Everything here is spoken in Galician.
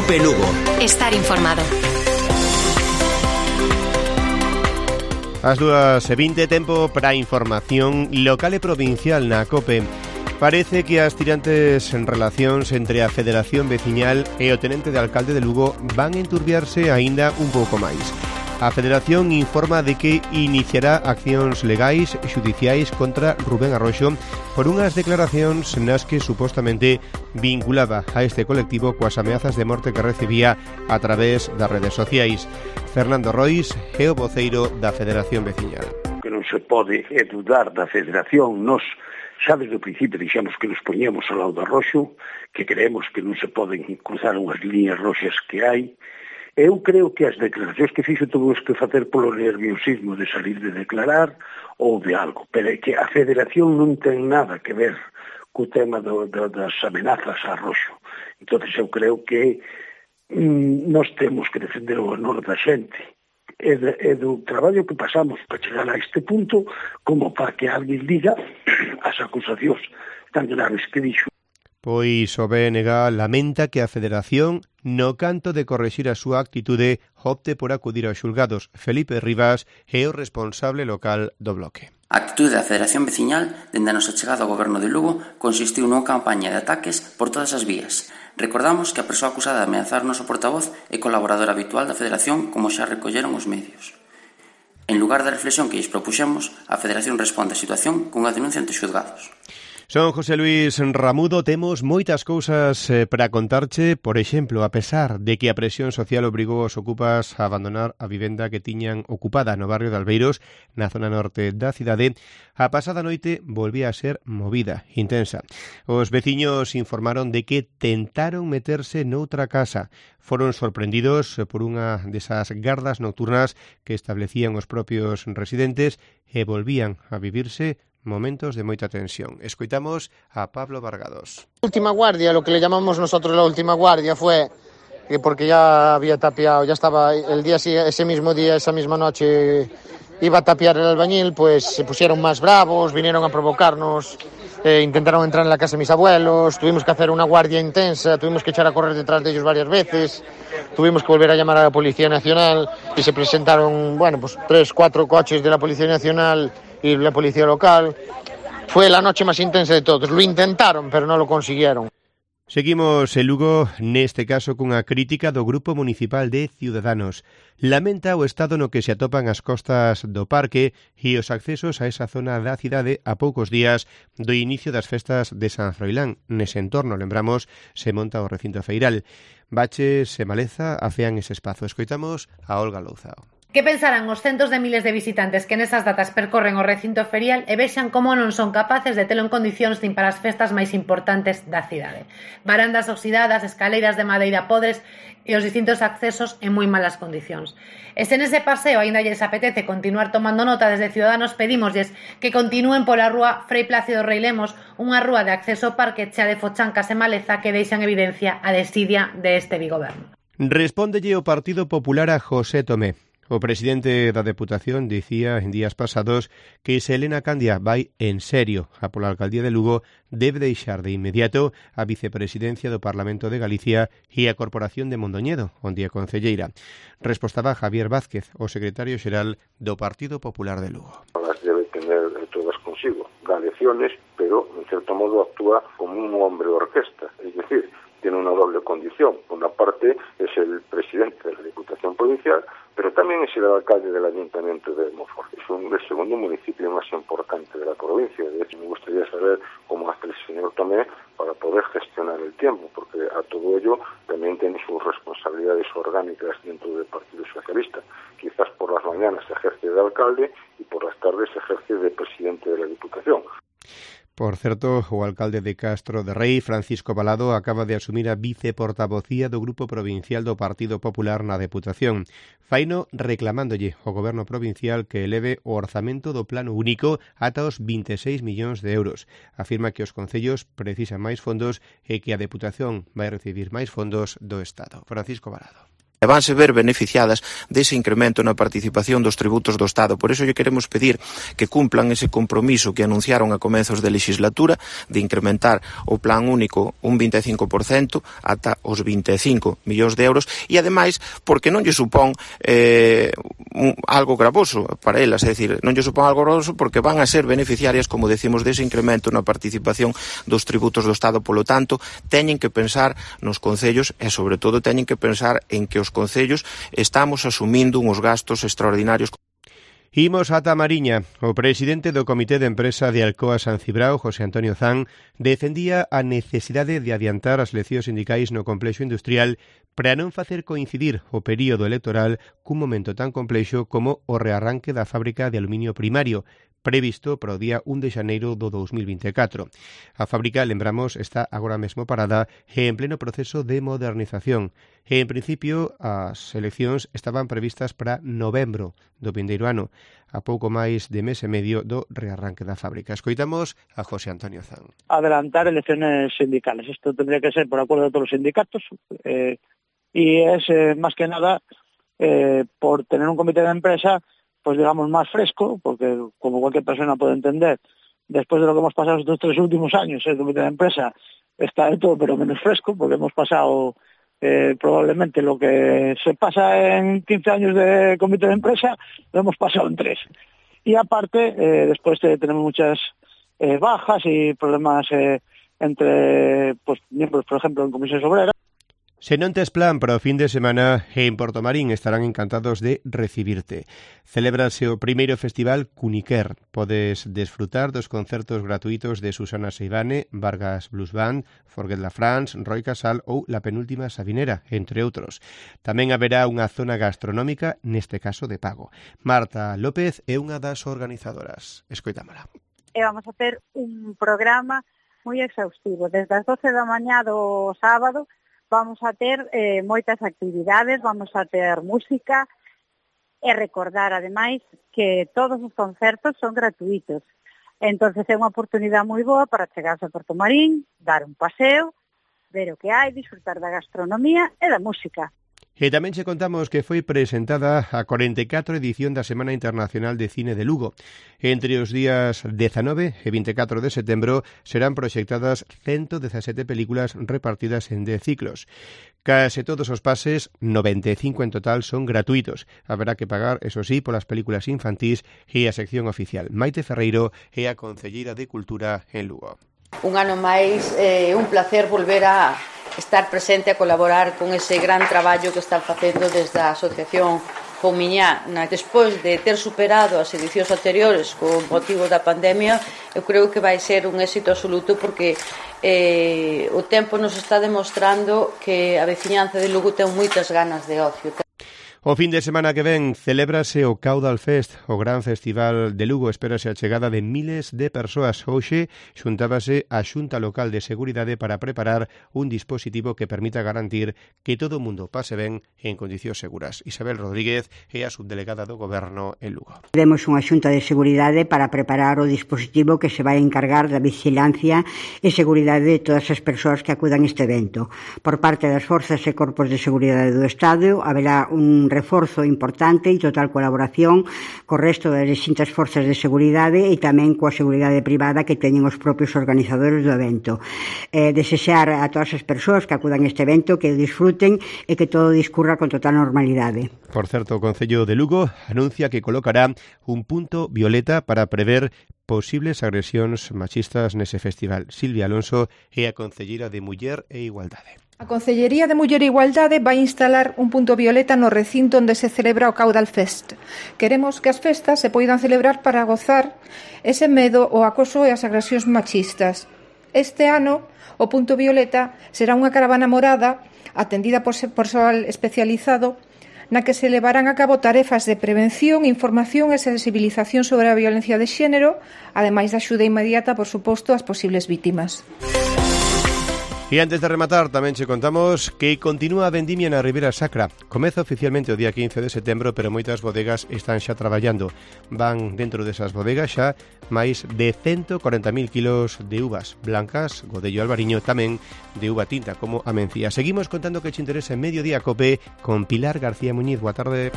COPE Lugo. Estar informado. As 2:20, tempo para información local e provincial na COPE. Parece que as tirantes en relacións entre a Federación Veciñal e o tenente de alcalde de Lugo van enturbiarse aínda un pouco máis. A Federación informa de que iniciará accións legais e xudiciais contra Rubén Arroxo por unhas declaracións nas que supostamente vinculaba a este colectivo coas ameazas de morte que recibía a través das redes sociais. Fernando Rois é o voceiro da Federación Veciñal. Que non se pode dudar da Federación, nos xa desde o principio dixemos que nos poñemos ao lado do Arroxo, que creemos que non se poden cruzar unhas líneas roxas que hai. Eu creo que as declaracións que fixo tuvimos que facer polo nerviosismo de salir de declarar ou de algo, pero é que a Federación non ten nada que ver co tema das amenazas a Arroxo. Entón, eu creo que nós temos que defender o honor da xente e do traballo que pasamos para chegar a este punto como para que alguén diga as acusacións tan graves que dixo. Pois o BNG lamenta que a Federación, no canto de correxir a súa actitude, opte por acudir aos xulgados. Felipe Rivas é o responsable local do bloque. A actitude da Federación Veciñal, dende a nosa chegada ao goberno de Lugo, consistiu nunha campaña de ataques por todas as vías. Recordamos que a persoa acusada de ameazar o noso portavoz é colaboradora habitual da Federación, como xa recolleron os medios. En lugar da reflexión que lles propuxemos, a Federación responde á situación cunha denuncia ante xulgados. Son José Luis Ramudo, temos moitas cousas para contarche. Por exemplo, a pesar de que a presión social obrigou aos ocupas a abandonar a vivenda que tiñan ocupada no barrio de Albeiros, na zona norte da cidade, a pasada noite volvía a ser movida, intensa. Os veciños informaron de que tentaron meterse noutra casa. Foron sorprendidos por unha desas gardas nocturnas que establecían os propios residentes e volvían a vivirse momentos de moita tensión. Escoitamos a Pablo Vargados. La última guardia, lo que le llamamos nosotros la última guardia, fue que porque ya había tapiado, ya estaba el día, ese mismo día, esa misma noche, iba a tapiar el albañil, pues se pusieron más bravos, vinieron a provocarnos, intentaron entrar en la casa de mis abuelos, tuvimos que hacer una guardia intensa, tuvimos que echar a correr detrás de ellos varias veces, tuvimos que volver a llamar a la Policía Nacional y se presentaron, 3-4 coches de la Policía Nacional y la policía local. Fue la noche más intensa de todos. Lo intentaron, pero no lo consiguieron. Seguimos en Lugo, neste caso cunha crítica do Grupo Municipal de Ciudadanos. Lamenta o estado no que se atopan as costas do parque e os accesos a esa zona da cidade a poucos días do inicio das festas de San Froilán. Nese entorno, lembramos, se monta o recinto feiral. Baches e maleza afean ese espazo. Escoitamos a Olga Louzao. Que pensarán os centos de miles de visitantes que nesas datas percorren o recinto ferial e vexan como non son capaces de telo en condicións nin para as festas máis importantes da cidade. Barandas oxidadas, escaleiras de madeira podres e os distintos accesos en moi malas condicións. E se nese paseo aínda lles apetece continuar tomando nota, desde Ciudadanos pedímoslles que continúen pola rúa Frei Plácido Rei Lemos, unha rúa de acceso ao parque chea de fochancas e maleza que deixan evidencia a desidia deste bigoberno. Respóndelle o Partido Popular a José Tomé. O presidente da Deputación dicía en días pasados que se Elena Candia vai en serio a pola alcaldía de Lugo, debe deixar de inmediato a vicepresidencia do Parlamento de Galicia e a Corporación de Mondoñedo, onde é concelleira. Respostaba Javier Vázquez, o secretario xeral do Partido Popular de Lugo. Las debe tener todas consigo, da lecciones, pero en cierto modo actúa como un hombre orquesta, es decir, tiene una doble condición. Por una parte es el presidente de la Diputación Provincial, pero también es el alcalde del Ayuntamiento de Monfort. Es el segundo municipio más importante de la provincia. De hecho, me gustaría saber cómo hace el señor Tomé para poder gestionar el tiempo, porque a todo ello también tiene sus responsabilidades orgánicas dentro del Partido Socialista. Quizás por las mañanas se ejerce de alcalde y por las tardes se ejerce de presidente de la Diputación. Por certo, o alcalde de Castro de Rei, Francisco Balado, acaba de asumir a viceportavocía do Grupo Provincial do Partido Popular na Deputación. Faino reclamándolle ao Goberno Provincial que eleve o orzamento do Plano Único ata os 26 millóns de euros. Afirma que os concellos precisan máis fondos e que a Deputación vai recibir máis fondos do Estado. Francisco Balado. e vanse ver beneficiadas dese incremento na participación dos tributos do Estado. Por iso lle queremos pedir que cumplan ese compromiso que anunciaron a comezos de legislatura de incrementar o plan único un 25% ata os 25 millóns de euros e, ademais, porque non lle supón algo gravoso para elas, é dicir, non lle supón algo gravoso porque van a ser beneficiarias, como decimos, dese incremento na participación dos tributos do Estado. Polo tanto, teñen que pensar nos concellos e, sobre todo, teñen que pensar en que os concellos estamos asumindo uns gastos extraordinarios. Imos ata Mariña. O presidente do Comité de Empresa de Alcoa San Cibrao, José Antonio Zan, defendía a necesidade de adiantar as eleccións sindicais no complexo industrial para non facer coincidir o período electoral cun momento tan complexo como o rearranque da fábrica de aluminio primario, previsto para o día 1 de xaneiro do 2024. A fábrica, lembramos, está agora mesmo parada e en pleno proceso de modernización. En principio, as eleccións estaban previstas para novembro do vindeiro ano, a pouco máis de mes e medio do rearranque da fábrica. Escoitamos a José Antonio Zan. Adelantar elecciones sindicales. Esto tendría que ser por acuerdo de todos los sindicatos y es más que nada por tener un comité de empresa pues digamos más fresco, porque como cualquier persona puede entender, después de lo que hemos pasado estos 3 últimos años, el comité de empresa está de todo pero menos fresco, porque hemos pasado probablemente lo que se pasa en 15 años de comité de empresa, lo hemos pasado en 3. Y aparte, después tenemos muchas bajas y problemas entre pues miembros, por ejemplo, en comisiones obreras. Se non tes plan para o fin de semana, en Portomarín estarán encantados de recibirte. Celébrase o primeiro festival Cuniquer. Podes desfrutar dos concertos gratuitos de Susana Seivane, Vargas Blues Band, Forget la France, Roy Casal ou La Penúltima Sabinera, entre outros. Tamén haberá unha zona gastronómica, neste caso de pago. Marta López é unha das organizadoras. Escoitámola. Vamos a ter un programa moi exhaustivo. Desde as 12 da mañá do sábado vamos a ter moitas actividades, vamos a ter música e recordar, ademais, que todos os concertos son gratuitos. Entonces é unha oportunidade moi boa para chegarse a Portomarín, dar un paseo, ver o que hai, disfrutar da gastronomía e da música. E tamén che contamos que foi presentada a 44 edición da Semana Internacional de Cine de Lugo. Entre os días 19 e 24 de setembro serán proxectadas 117 películas repartidas en 10 ciclos. Case todos os pases, 95 en total, son gratuitos. Haberá que pagar, eso sí, polas películas infantís e a sección oficial. Maite Ferreiro é a concelleira de Cultura en Lugo. Un ano máis, un placer volver a estar presente a colaborar con ese gran traballo que están facendo desde a Asociación Poumiñá. Despois de ter superado as edicións anteriores con motivo da pandemia, eu creo que vai ser un éxito absoluto porque o tempo nos está demostrando que a veciñanza de Lugo ten moitas ganas de ocio. O fin de semana que ven celébrase o Caudal Fest, o gran festival de Lugo. Espérase a chegada de miles de persoas. Hoxe xuntábase a Xunta Local de Seguridade para preparar un dispositivo que permita garantir que todo o mundo pase ben en condicións seguras. Isabel Rodríguez é a subdelegada do Goberno en Lugo. Temos unha Xunta de Seguridade para preparar o dispositivo que se vai encargar da vigilancia e seguridade de todas as persoas que acudan a este evento. Por parte das forzas e corpos de seguridade do Estado haberá un reforzo importante e total colaboración co resto das distintas forzas de seguridade e tamén coa seguridade privada que teñen os propios organizadores do evento. Desexar a todas as persoas que acudan a este evento que disfruten e que todo discurra con total normalidade. Por certo, o Concello de Lugo anuncia que colocará un punto violeta para prever posibles agresións machistas nese festival. Silvia Alonso é a concelleira de Muller e Igualdade. A Concellería de Muller e Igualdade vai instalar un punto violeta no recinto onde se celebra o Caudal Fest. Queremos que as festas se poidan celebrar para gozar ese medo, o acoso e as agresións machistas. Este ano, o punto violeta será unha caravana morada atendida por persoal especializado na que se levarán a cabo tarefas de prevención, información e sensibilización sobre a violencia de xénero, ademais da axuda inmediata, por suposto, ás posibles vítimas. E antes de rematar, tamén che contamos que continúa a vendimia na Ribeira Sacra. Comeza oficialmente o día 15 de setembro, pero moitas bodegas están xa traballando. Van dentro desas bodegas xa máis de 140.000 kilos de uvas blancas, Godello Albariño, tamén de uva tinta, como a Mencía. Seguimos contando que che interesa en Mediodía Cope con Pilar García Muñiz. Boa tarde.